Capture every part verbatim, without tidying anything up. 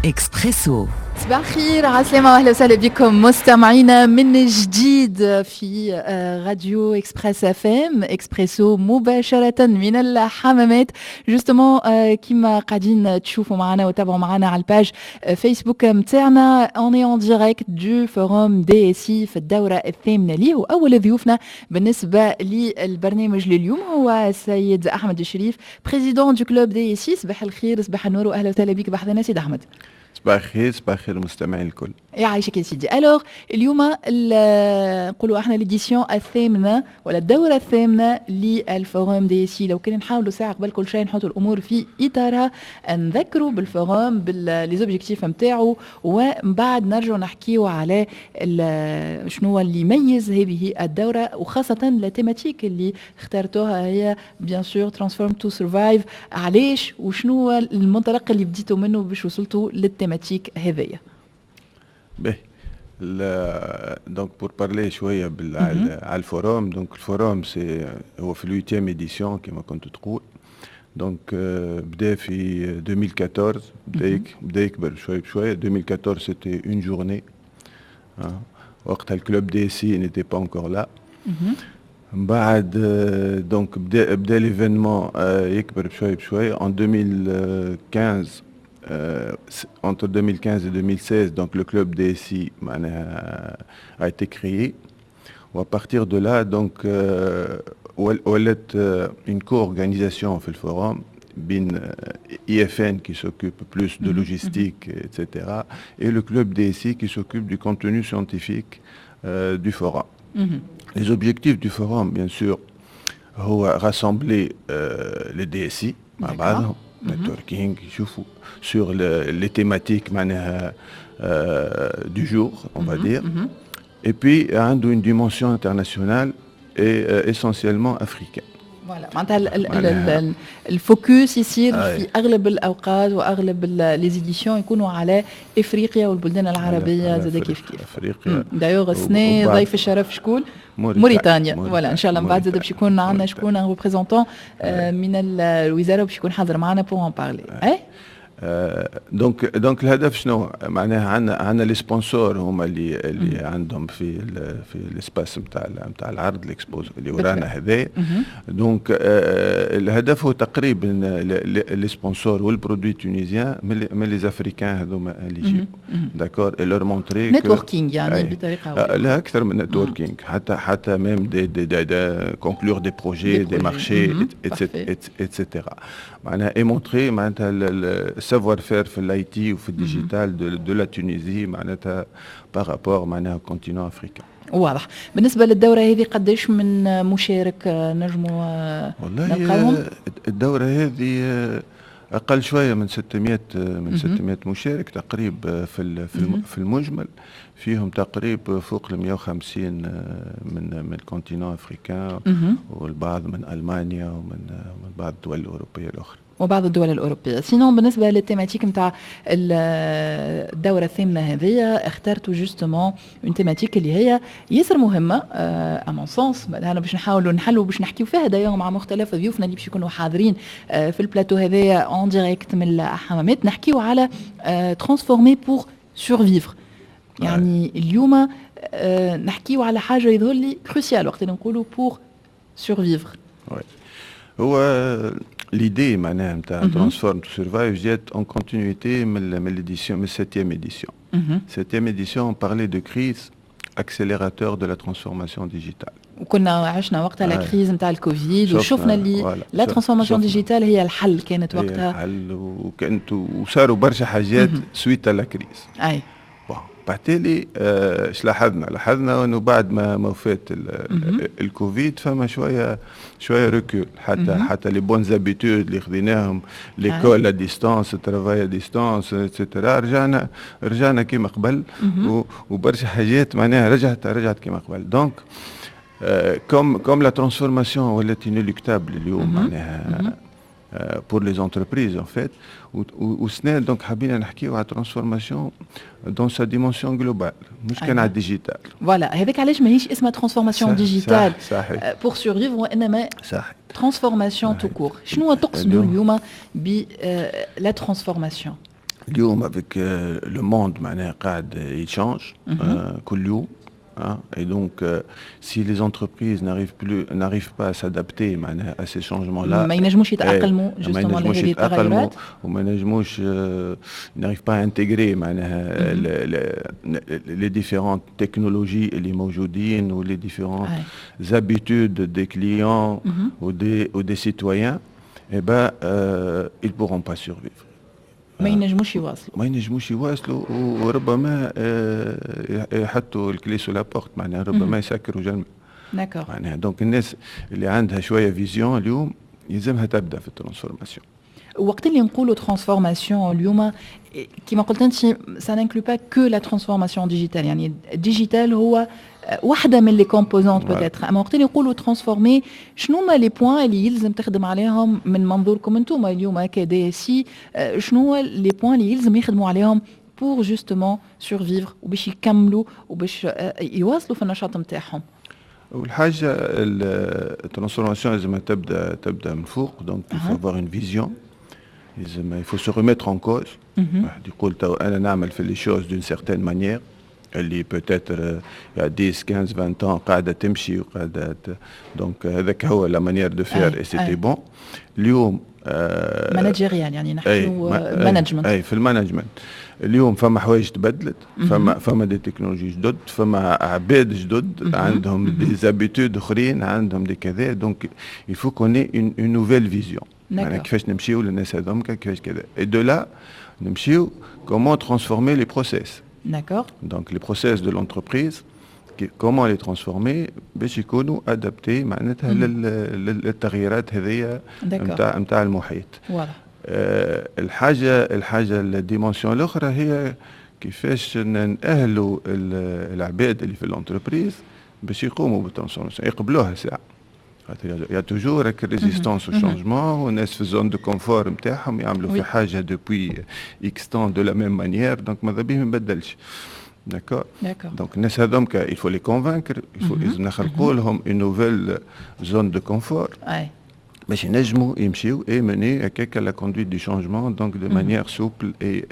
اكسبريسو. صباح الخير، عسلامة واهلا وسهلا بكم مستمعينا من جديد في آه، راديو اكسبريس اف ام، اكسبريسو مباشرة من الحمامات. justement كيما قاعدين تشوفوا معنا وتابعوا معنا على ال page فيسبوك نتاعنا، on est en direct du forum DSI في الدورة الثامنة ليه، واول ضيوفنا بالنسبة للبرنامج لليوم هو السيد احمد الشريف، président du club DSI. صباح الخير، صباح النور واهلا وسهلا بك بحذنا سيد احمد. صباح الخير، صباح الخير المستمعين الكل. يعيشك يا سيدي. alors اليوم نقولوا احنا l'édition الثامنة ولا الدورة الثامنة لل forum DSI. لو كان نحاولوا ساعة قبل كل شيء نحطوا الامور في اطارها، نذكروا بال forum، ب les objectifs نتاعو، ومن بعد نرجعوا نحكيو على شنو اللي يميز هذه الدوره، وخاصة la thématique اللي اخترتوها هي bien sûr transform to survive. علاش وشنو المنطلق اللي بديتوا منه باش وصلتوا لل thématique هذيا؟ باهي، donc pour parler شوية على ال forum، donc ال forum c'est هو في ال huitième édition كما كنت تقول. donc بدا في ألفين وأربعطاش، بدا بدا يكبر شوية بشويه. ألفين وأربعطاش c'était une journée، وقتها ال club DSI n'était pas encore là. من بعد donc بدا بدا l'événement يكبر بشوية بشوية en deux mille quinze، euh, entre deux mille quinze et deux mille seize، donc le club D S I a été créé. و à partir de là, donc, euh, ولات une co-organisation في ال forum بين I F N qui s'occupe plus de logistique, et cetera, et le club D S I qui s'occupe du contenu scientifique euh, du forum. Les objectifs du forum, bien sûr, هو rassembler euh, les D S I مع بعضهم، networking، يشوفوا sur le, les thématiques معناها euh, du jour, on va dire. Et puis عنده une dimension internationale et euh, essentiellement africaine. voilà، معناتها ال focus يصير في اغلب الاوقات واغلب les éditions يكونوا على افريقيا والبلدان العربية زاد كيف كيف. افريقيا. d'ailleurs السنة ضيف الشرف شكون؟ موريتانيا. voilà، ان شاء الله من بعد زاد باش يكون عندنا شكون représentant من الوزارة باش يكون حاضر معنا pour en parler. اي. donc donc الهدف شنو؟ معناها عندنا عندنا les sponsors هما اللي اللي عندهم في ال في ال espace نتاع نتاع العرض، l'expo اللي ورانا هذايا. donc الهدف هو تقريبا les sponsors وال produits tunisiens من les africains هذوما اللي يجيو، d'accord، et leur montrer networking يعني بطريقه لا، اكثر من networking، حتى حتى même des des des, des conclure des projets، des marchés، et cetera، معناها et montrer معناتها savoir-faire في ال IT وفي ال digital de, de la Tunisie معناتها par rapport معناها continent africain. واضح. بالنسبة للدورة هذه قداش من مشارك نجموا والله نلقاهم؟ الدورة هذه اقل شوية من ستمية، من ستمية مشارك تقريبا في في المجمل، فيهم تقريبا فوق ال مية وخمسين من من ال continent africain والبعض من المانيا ومن من بعض الدول الاوروبية الاخرى. وبعض الدول الأوروبية. sinon بالنسبة لل thématique نتاع الدورة الثامنة هذه، اخترتوا justement une thématique اللي هي ياسر مهمة à mon sens، انا باش نحاولوا نحلوا باش نحكيو فيها d'ailleurs مع مختلف ضيوفنا اللي باش يكونوا حاضرين آه، في البلاتو هذايا en direct من الحمامات، نحكيو على transformer pour survivre. يعني اليوم آه، نحكيو على حاجة يظهر لي cruciale وقت اللي نقولوا pour survivre. هو l'idée معناها نتاع transform to survive جات en continuité من من l'édition، من septième édition. Septième édition، on parlait de crise accélérateur de la transformation digitale. وكنا عشنا وقتها la crise نتاع الكوفيد وشفنا اللي la transformation digitale هي الحل كانت وقتها. الحل، وكانت وصاروا برشا حاجات suite à la crise. اي. بالتالي ايش لاحظنا؟ لاحظنا انه بعد ما ما فات الكوفيد فما شوية شوية recul، حتى حتى les bonnes habitudes اللي خذيناهم، l'école à distance، travail à distance، et cetera، رجعنا رجعنا كيما قبل، وبرشا حاجات معناها رجعت رجعت كيما قبل. donc comme comme la transformation ولات inéluctable اليوم معناها pour les entreprises en fait، وسنة donc حبينا نحكيو على transformation dans sa dimension globale، مش كان على ال digital. voilà، هذاك علاش ماهيش اسمها transformation digitale pour survivre وانما صح transformation tout court. شنو تقصدوا اليوم ب la transformation؟ اليوم avec le monde معناها قاعد ي change كل يوم. Hein, et donc, euh, si les entreprises n'arrivent plus, n'arrivent pas à s'adapter à ces changements-là, ما ينجموش يتأقلموا justement لهذه التغيرات. وما ينجموش n'arrivent pas à intégrer معناها les différentes technologies اللي موجودين ou les différentes habitudes des clients ou des ou des citoyens, eh ben euh, ils pourront pas survivre. ما ينجموش يواصلوا. ما ينجموش يواصلوا، وربما آه، يحطوا ال clé sous la porte، معناها ربما يسكروا جنب. d'accord معناها donc الناس اللي عندها شوية vision اليوم يلزمها تبدا في ال transformation. وقت اللي نقولوا transformation اليوم، كما قلت انت، ça n'inclut pas que la transformation digitale، يعني ال digital هو واحدة من les composantes peut-être، اما وقت اللي نقولوا transformer، شنو هما les points اللي يلزم تخدم عليهم من منظوركم انتم اليوم ك DSI؟ شنو هو les points اللي يلزم يخدموا عليهم pour justement survivre وباش يكملوا وباش يواصلوا في النشاط نتاعهم؟ اول حاجة ال transformation لازم تبدا تبدا من فوق، donc il faut avoir une vision، لازم il faut se remettre en cause. واحد يقول تو انا نعمل في les choses d'une certaine manière اللي peut-être il y a dix quinze vingt ans قاعدة تمشي وقاعده، donc هذاك هو la manière de faire et c'était bon. اليوم managérial، يعني نحكيو management. اي، في ال management اليوم فما حوايج تبدلت، فما فما des technologies جدد، فما عباد جدد عندهم des habitudes اخرين، عندهم des كذا، donc il faut qu'on ait une nouvelle vision، يعني كيفاش نمشيو للناس هذوك، كيفاش كذا، et de là نمشيو comment transformer les process. D'accord. Donc les process de l'entreprise, comment les transformer باش يكونوا adaptés معناتها للتغييرات هذيا نتاع نتاع المحيط. واضح. أه الحاجة الحاجة ال dimension الاخرى هي كيفاش نأهلوا العباد اللي في l'entreprise باش يقوموا بال transformation، يقبلوها ساعه. Il y a toujours résistance au changement، والناس في ال zone de confort نتاعهم، يعملوا في حاجة depuis X temps de la même manière، donc ماذا بيه ما يبدلش. D'accord. Donc الناس هذوك il faut les convaincre، il faut لازم نخلقوا لهم une nouvelle zone de confort باش ينجموا يمشيو et mener هكاك la conduite du changement donc de manière souple et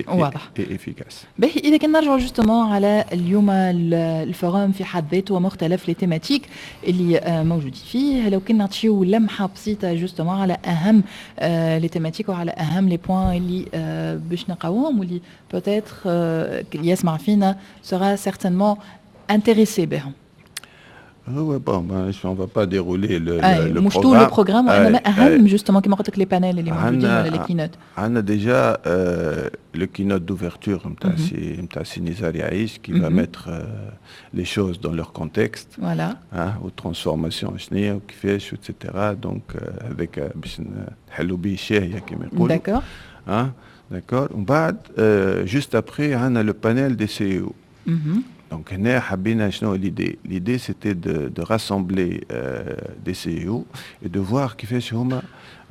واضح. et efficace. باهي، اذا كان نرجعوا justement على اليوم ال forum في حد ذاته ومختلف les thématiques اللي موجودين فيه، لو كنا نعطيو لمحه بسيطة justement على اهم les thématiques وعلى اهم les points اللي باش نلقاوهم واللي peut-être اللي يسمع فينا sera certainement intéressé بهم. هو bon، on va pas dérouler le, le, le مش tout le programme، وانما اهم justement كيما قلت لك les panels اللي موجودين ولا les keynotes. عندنا déjà le keynote d'ouverture نتاع سي نتاع سي نزار يعيش qui va mettre les choses dans leur contexte. Voilà. و transformation شنو وكيفاش et cetera، donc هذاك باش نحلوا به الشاهيه كما يقولوا. D'accord. ها d'accord، ومن بعد juste après عندنا le panel des CEO. Donc, هنا حبينا شنو l'idée؟ L'idée c'était de, de rassembler euh, des CEO et de voir كيفاش هما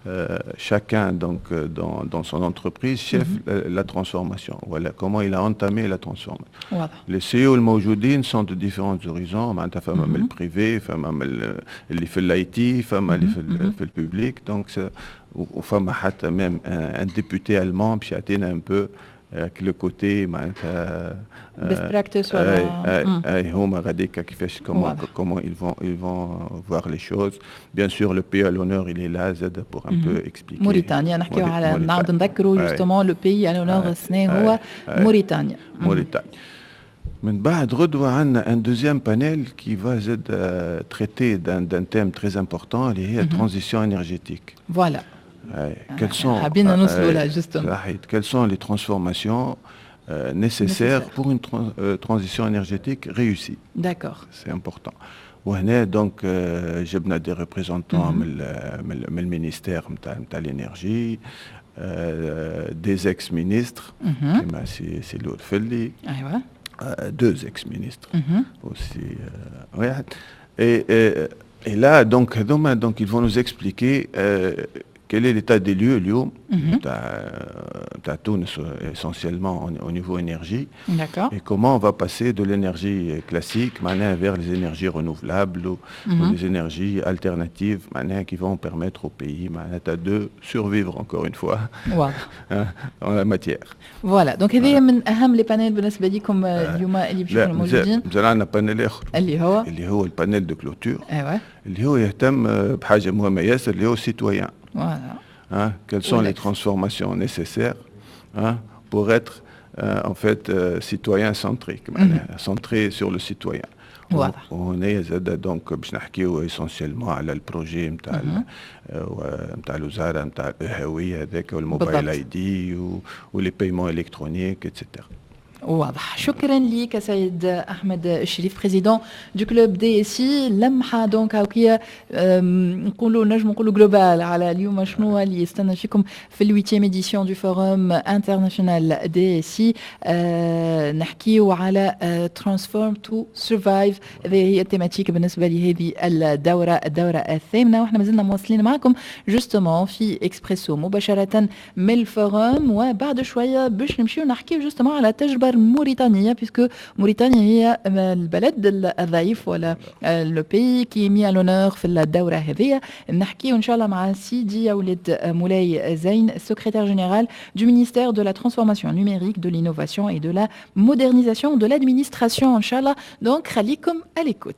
euh, chacun donc euh, dans, dans son entreprise شاف mm -hmm. la, la transformation. Voilà comment il a entamé la transformation. واضح. Les CEO الموجودين sont de différents horizons، معناتها فما من ال privé، فما من اللي في ال IT، فما اللي في في ال public، donc وفما حتى même un, un député allemand باش يعطينا un peu le côté معناتها best practice ولا اي اي هما غاديك كيفاش comment comment ils vont ils vont voir les choses. Bien sûr le pays à l'honneur il est là زاد pour un peu expliquer. موريتانيا، نحكيو على، نعاود نذكروا justement le pays à l'honneur السنة هو موريتانيا. موريتانيا. من بعد غدوة عندنا un deuxième panel qui va زاد traiter d'un d'un thème très important اللي هي transition énergétique. Voilà. Quelles sont, حابين نوصلوا لها justement. Quelles sont les transformations euh, nécessaires pour une tra euh, transition énergétique réussie؟ D'accord. C'est important. وهنا donc جبنا des représentants من من ال ministère نتاع نتاع l'énergie، des ex-ministres كيما سي سي الورفلي. ايوه. Deux ex-ministres aussi واحد. Et, et, et là donc هذوما donc ils vont nous expliquer euh, quel est l'état des lieux اليوم نتاع نتاع تونس essentiellement au niveau énergie؟ D'accord. Et comment on va passer de l'énergie classique معناها vers les énergies renouvelables ou, mm -hmm. ou les énergies alternatives معناها qui vont permettre au pays معناتها de survivre encore une fois dans la matière. Voilà, donc هذه من اهم les panels بالنسبة لكم اليوم اللي باش يكونوا موجودين. مازال عندنا panel اخر. اللي هو؟ اللي هو ال panel de clôture. ايوه. اللي هو يهتم بحاجة مهمة ياسر اللي هو ال citoyen. Voilà. Hein, quelles sont les transformations nécessaires, hein, pour être euh, en fait euh, citoyen centrique, mm -hmm. centré sur le citoyen. واضح. وهنا زاد donc باش نحكيو essentiellement على ال projet نتاع نتاع الوزارة نتاع الهوية هذاك وال mobile ID و les paiements électroniques et cetera. واضح، شكرا لك سيد احمد الشريف، président du club DSI. لمحه donc هاكيا نقولوا نجم نقولوا globale على اليوم شنو اللي يستنى فيكم في ال huitième édition du forum international DSI. نحكيو على transform to survive، هذه هي ال thématique بالنسبة لهذه الدوره، الدورة الثامنه. واحنا مازلنا مواصلين معكم justement في اكسبريسو مباشرة من ال forum، وبعد شوية باش نمشيو نحكيو justement على التجربة الموريتانية، puisque موريتانيا هي البلد الضيف ولا le pays qui est mis à l'honneur في الدورة هذه. نحكيو إن شاء الله مع سيدي ولد مولاي زين، secrétaire général du ministère de la transformation numérique، de l'innovation et de la modernisation de l'administration إن شاء الله. donc خليكم à l'écoute.